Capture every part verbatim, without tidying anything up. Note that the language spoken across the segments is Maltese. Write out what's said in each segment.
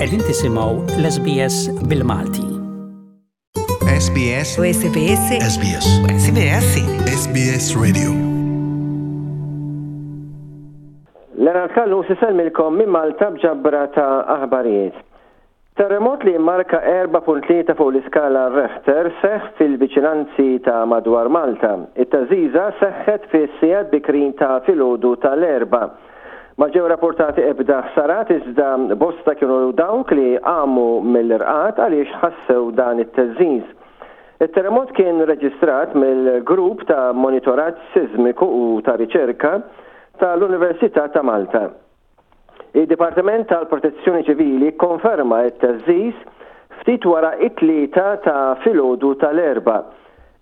Qegħdin tisimgħu l-S B S bil-Malti. S B S. S B S. S B S. S B S. S B S Radio. Leonard Callus isellmilkom minn Malta b'ġabra ta' aħbarijiet. Terremot li marka erbgħa punt tlieta fuq l-iskala Richter seħ fil-viċinanzi ta' madwar Malta. It-theżżiża seħħet fis-sigħat bikrin ta' filgħodu tal-Erbgħa. Ma ġew rapportati ebda ħsarat, iżda bosta kienu dawk li qamu mill-irqad għaliex ħassew dan it-theżżiż. Il-terremot kien reġistrat mill-grupp ta' monitoraġġ sismiku u ta' riċerka tal-Università ta' Malta. Il-Dipartiment tal-Protezzjoni Ċivili konferma it-theżżiż ftit wara it-tlieta ta' filgħodu tal-Erbgħa.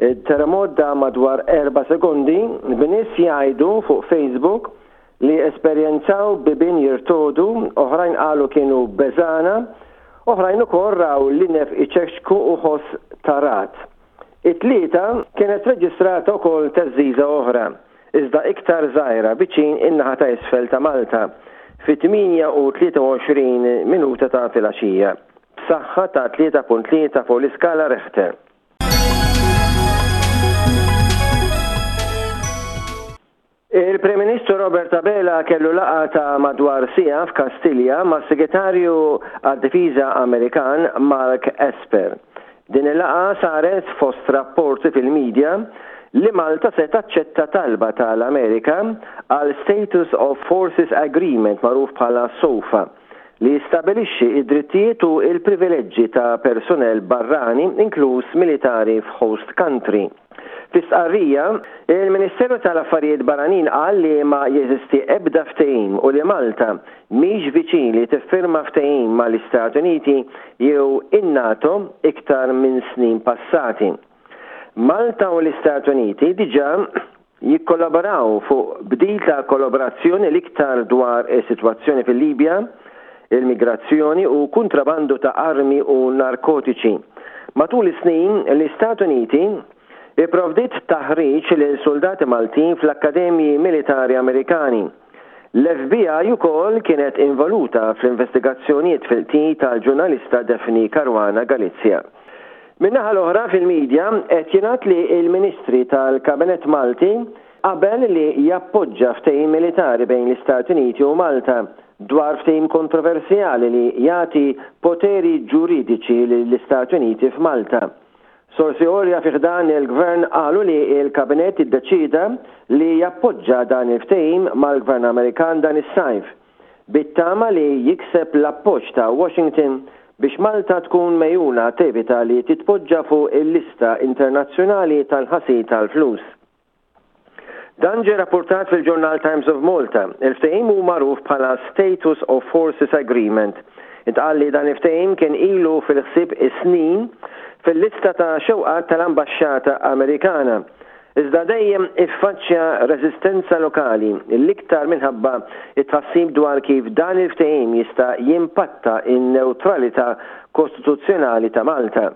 Il-terremot dam madwar erba' sekondi, b'nies jgħidu fuq Facebook li esperjenzaw bibien jirtogħdu, oħrajn qalu kienu beżgħana, oħrajn ukoll raw linef iċekċku u ħoss ta' ragħad. It-Tlieta kienet reġistrata wkoll theżżiża oħra, iżda iktar żgħira, viċin in-naħa ta' isfel ta' Malta fit-tmienja u tlieta u għoxrin minuta ta' filgħaxija, b'saħħa ta' tlieta punt tlieta fuq l-iskala Richter. Il-Prim Ministru Robert Abela kellu laqgħa ta' madwar siegħa f'Kastilja ma' segretarju għad-Difiża Amerikan Mark Esper. Din il-laqgħa saret fost rapporti fil-medja li Malta se taċċetta talba tal-Amerika għal Status of Forces Agreement, magħruf bħala SOFA, li jistabilixxi id-drittijiet u il-privileġġi ta' personel barrani, inkluż militari, f'host country. Fi stqarrija, il-Ministeru tal-Affarijiet Barranin qal li ma jeżisti ebda ftehim u li Malta mhix viċin li tiffirma ftehim mal-Istati Uniti jew in-NATO iktar minn snin passati. Malta u l-Istati Uniti diġà jikkollaboraw fuq bdil ta' kollaborazzjoni, l-iktar dwar is-sitwazzjoni fil-Libja, il-migrazzjoni u kontrabandu ta' armi u narkotiċi. Matul is-snin, l-Istati Uniti ipprovdiet taħriġ lil soldati Maltin fl-Akkademji Militari Amerikani. L-F B I ukoll kienet involuta fl-investigazzjonijiet fil-qtil tal-ġurnalista Daphne Caruana Galizia. Min-naħa l-oħra, fil-medja qed jingħad li il-Ministri tal-Kabinett Malti qabel li jappoġġa ftehim militari bejn l-Istati Uniti u Malta dwar ftehim kontroversjali li jagħti poteri ġuridiċi lill-Istati Uniti f'Malta. Sorsi għolja fi ħdan il-gvern qalu li il-kabinett iddeċida li jappoġġa dan il-ftehim mal-gvern Amerikan dan is-sajf, bit-tama li jikseb l-appoġġ ta' Washington biex Malta tkun megħjuna tevita li titpoġġa fuq il-lista internazzjonali tal-ħasil tal-flus. Dan ġie rapportat fil-ġurnal Times of Malta. Il-ftehim hu magħruf bħala Status of Forces Agreement. Intqal li dan il-ftehim kien ilu fil-ħsieb is-snin fil-lista ta' xewqat tal-Ambaxxata Amerikana. Iżda dejjem iffaċċja reżistenza lokali, l-iktar minħabba it-tħassib dwar kif dan il-ftehim jista' jimpatta in-neutralità kostituzzjonali ta' Malta.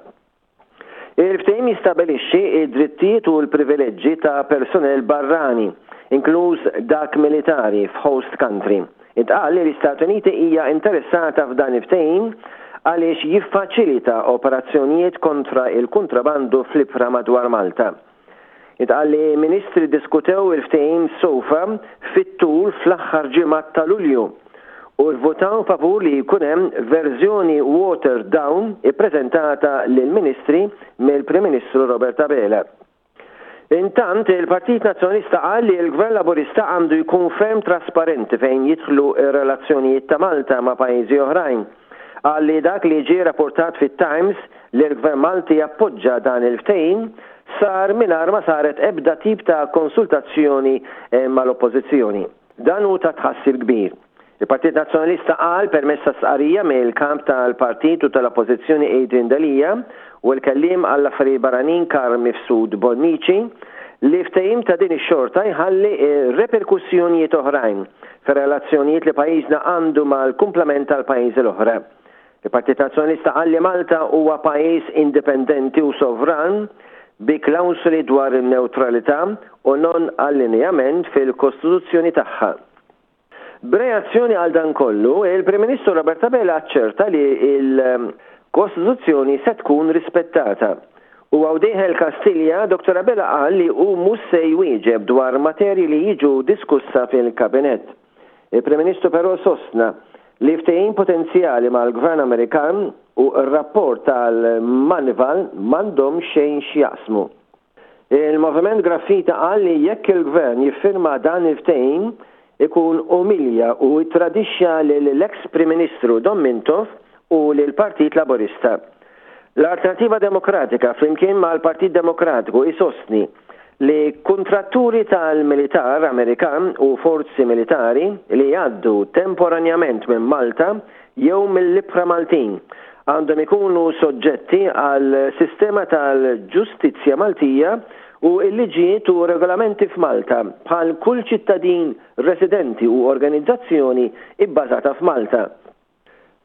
Il-ftehim jistabilixxi id-drittijiet u l-privileġġi ta' personel barrani, inkluż dak militari, f'host country. Intqal li l-Istati Uniti hija interessata f'dan il-ftehim għaliex jiffaċilita operazzjonijiet kontra il-kontrabandu fl-ibħra madwar Malta. Intqal li ministri diskutew il-ftehim SOFA fit-tul fl-aħħar ġimgħat ta' Lulju u votaw favur li jkun hemm verżjoni watered down ippreżentata lill-ministri mill-Prim Ministru Robert Abela. Intant, il-Partit Nazzjonalista qal li l-Gvern Laburista għandu jkun ferm trasparenti fejn jidħlu ir-relazzjonijiet ta' Malta ma' pajjiżi oħrajn. Qal li dak li ġie rapportat fit-Times li l-Gvern Malti jappoġġa dan il-ftehim sar mingħajr ma saret ebda tip ta' konsultazzjoni eh, mal-oppożizzjoni. Dan hu ta' tħassib kbir. Il-Partit Nazzjonalista qal permezz ta' stqarrija mill-kap tal-Partit u tal-Oppożizzjoni Adrian Delia u l-kelliem għall-affarijiet barranin Carm Mifsud Bonnici li ftehim ta' din ix-xorta jħalli reperkussjonijiet oħrajn fir-relazzjonijiet li pajjiżna għandu mal-kumplament tal-pajjiżi l-oħra. Il-Partit Nazzjonalista qal li Malta huwa pajjiż indipendenti u sovran bi klawsoli dwar in-neutralità u non allineament fil-Kostituzzjoni tagħha. B'reazzjoni għal dan kollu, il-Prim Ministru Robert Abela aċċerta li il-Kostituzzjoni se tkun rispettata. U hawn dieħel Kastilja, Dottor Abela qal li hu mhux se jwieġeb dwar materji li jiġu diskussa fil-Kabinett. Il-Prim Ministru però sostna li ftehim potenzjali mal-Gvern Amerikan u r-rapport tal-Moneyval m'għandhom xejn x'jaqsmu. Il-Moviment Graffiti qal li jekk il-Gvern jiffirma dan il-ftehim ikun umilja u tradixxa lill-ex Prim Ministru Dom Mintoff u lill-Partit Laburista. L-Alternativa Demokratika flimkien mal-Partit Demokratiku isostni li kontratturi tal-militar Amerikan u forzi militari li jgħaddu temporanjament minn Malta jew mill-ibħra Maltin għandhom ikunu soġġetti għal sistema tal-ġustizzja Maltija u l-liġijiet u regolamenti f'Malta bħal kull ċittadin residenti u organizzazzjoni ibbażata f'Malta.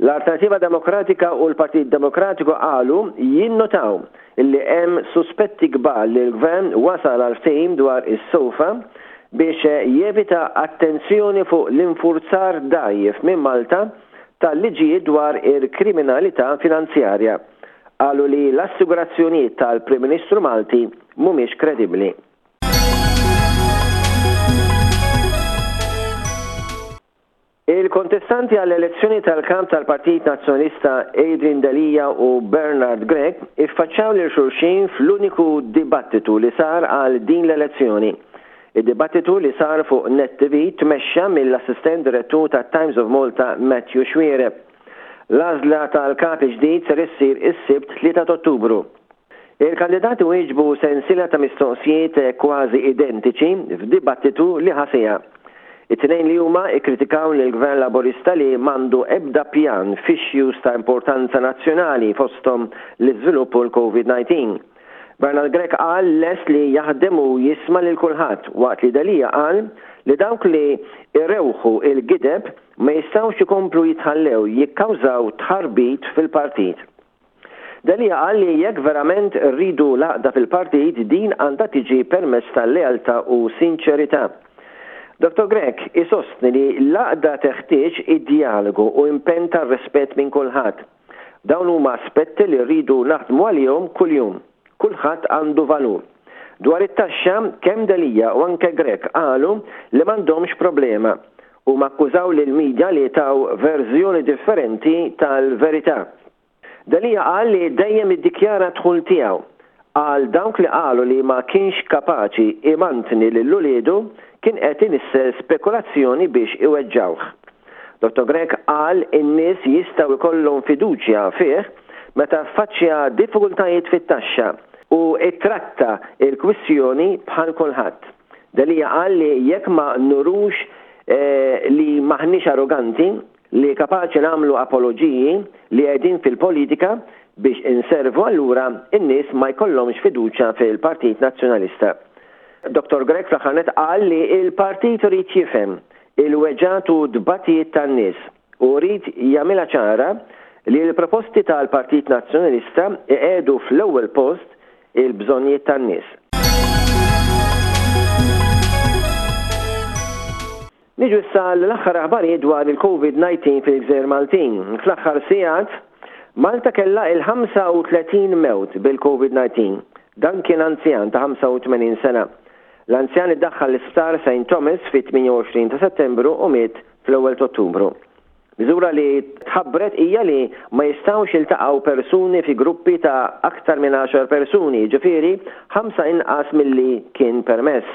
L-Alternativa Demokratika u l-Partit Demokratiku qalu jinnotaw illi hemm suspetti kbar li l-Gvern wasal għal ftehim dwar is-SOFA biex jevita attenzjoni fuq l-infurzar dgħajjef minn Malta tal-liġijiet dwar il-kriminalità finanzjarja. Qalu li l-assigurazzjonijiet tal-Prim Ministru Malti mhumiex kredibbli. Il-kontestanti għall-elezzjoni tal-kamp tal-Partit Nazzjonalista Adrian Delia u Bernard Grech iffaċċjaw lil xulxin fl-uniku dibattitu li sar għal din l-elezzjoni. Id-dibattitu li sar fuq Net T V tmexxa mill-assistent direttur ta' Times of Malta, Matthew Xuereb. L-għażla tal-kap ġdid ser issir is-Sibt tlieta Ottubru. Il-kandidati wieġbu sensiela ta' mistoqsijiet kważi identiċi f'dibattitu li ħa siegħa. It-tnejn li huma ikkritikaw lill-Gvern Laburista li m'għandu ebda pjan f'issues ta' importanza nazzjonali, fosthom l-iżvilupp u l-Covid nineteen. Bernard Grech qal lest li jaħdem u jisma' lil kulħadd, waqt li Delia qal li dawk li irewħu il-gideb ma jistgħux ikomplu jitħallew jikkawżaw tħarbit fil-partit. Delia qal li jekk verament rridu l-għaqda fil-partit, din għandha tiġi permezz tal-lealtà u sinċerità. Dottor Grech isostni li l-għaqda teħtieġ id-dialogu u impenn tar-rispett minn kulħadd. Dawn huma aspetti li rridu naħdmu għalihom kuljum. Kulħadd għandu valur. Dwar it-taxxa, kemm Delia u anke Grech qalu li m'għandhomx problema u akkużaw lill-medja li taw verżjoni differenti tal-verità. Delia qal li dejjem iddikjara d-dħul tiegħu. Għal dawk li qalu li ma kienx kapaċi imantni lil uliedu, kien qed inissel spekulazzjoni biex iweġġawh. Dottor Grech qal in-nies jistgħu jkollhom fiduċja fih meta faċċja diffikultajiet fit-taxxa u ittratta il-kwistjoni bħal kulħadd. Delia qal li jekk ma nurux eh, li maħniex arroganti, li kapaċi nagħmlu apologiji, li qegħdin fil-politika biex inservu, allura in-nies ma jkollhomx fiduċja fil-Partit Nazzjonalista. Dottor Grech fl-aħħar qal li il-partit irid jifhem il-weġgħat u tbatijiet tan-nies u jrid jagħmilha ċara li l-proposti tal-Partit Nazzjonalista iqiegħdu fl-ewwel post il-bżonnijiet tan-nies. Niġu issa l-aħħar aħbarijiet dwar il-Covid nineteen fil-Gżejjer Maltin. Fl-aħħar sigħat, Malta kellha il-ħamsa u tletin mewt bil-Covid nineteen. Dan kien anzjan ta' ħamsa u tmenin sena. L-anzjan iddaħħal l-isptar Saint Thomas fit-tmienja u għoxrin ta' Settembru u miet fl-ewwel ta' Ottubru. Miżura li tħabbret hija li ma jistgħux jiltaqgħu persuni fi gruppi ta' aktar minn għaxar persuni, ġifieri ħamsa inqas milli kien permess.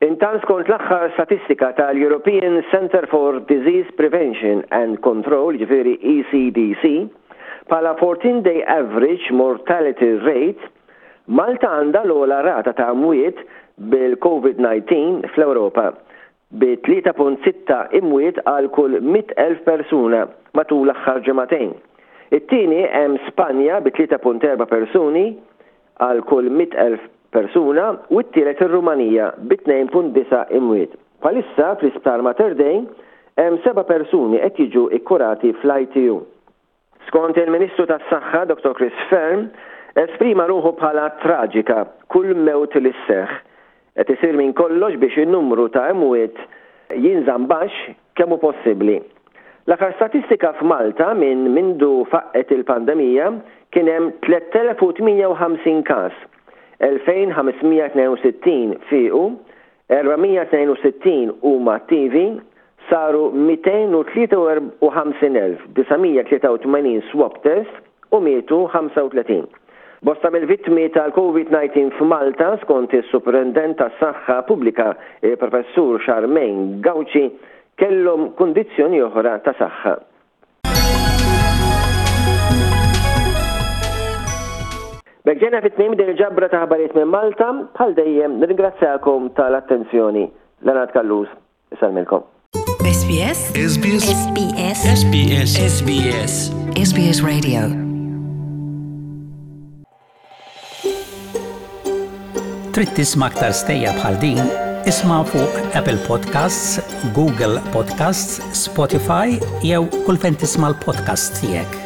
Intant, skont l-aħħar statistika tal-European Center for Disease Prevention and Control, ġifieri E C D C, bħala fourteen-day average mortality rate, Malta għandha l-ogħla rata ta' mwiet bil-Covid nineteen fl-Ewropa bi tlieta punt sitta imwiet għal kull mitt elf persuna matul l-aħħar ġimagħtejn. It-tieni hemm Spanja bi tlieta punt erba' persuni għal kull mitt elf persuna u t-tielet ir-Rumanija bi tnejn punt disgħa imwiet. Bħalissa fl-isptar Mater Dei hemm seba' persuni qed jiġu ikkurati fl-I T U. Skont il-Ministru tas-Saħħa Dottor Chris Fearne, esprima ruħu bħala traġika kull mewt li sseħħ. Qed isir minn kollox biex in-numru ta' imwiet jinżamm baxx. kemm hu possibbli. L-aħħar statistika f'Malta minn mindu faqqet il-pandemija kien hemm tlett elef u tmienja u ħamsin każ, elfejn ħames mija tnejn u sittin fiequ, erba' mija tnejn u sittin huma attivi, saru mitejn u tlieta u ħamsin elf disa' mija tlieta u tmenin swab test u mietu ħamsa u tletin. Bosta mill-vittmi tal-Covid nineteen f'Malta, skont is-Superintendent tas-Saħħa Pubblika, il-Professur Charmaine Gauci, kellhom kundizzjoni oħra ta' saħħa. B'hekk ġejna fit-tmiem din il-ġabra ta' ħbarijiet minn Malta, bħal dejjem nirringrazzjakom tal-attenzjoni. Leonard Callus, isellmilkom. S B S S B S S B S S B S S B S S B S Radio. Trid tisma' aktar stejjer bħal din? Isma' fuq Apple Podcasts, Google Podcasts, Spotify jew kull fejn tisma' l-podcast tiegħek.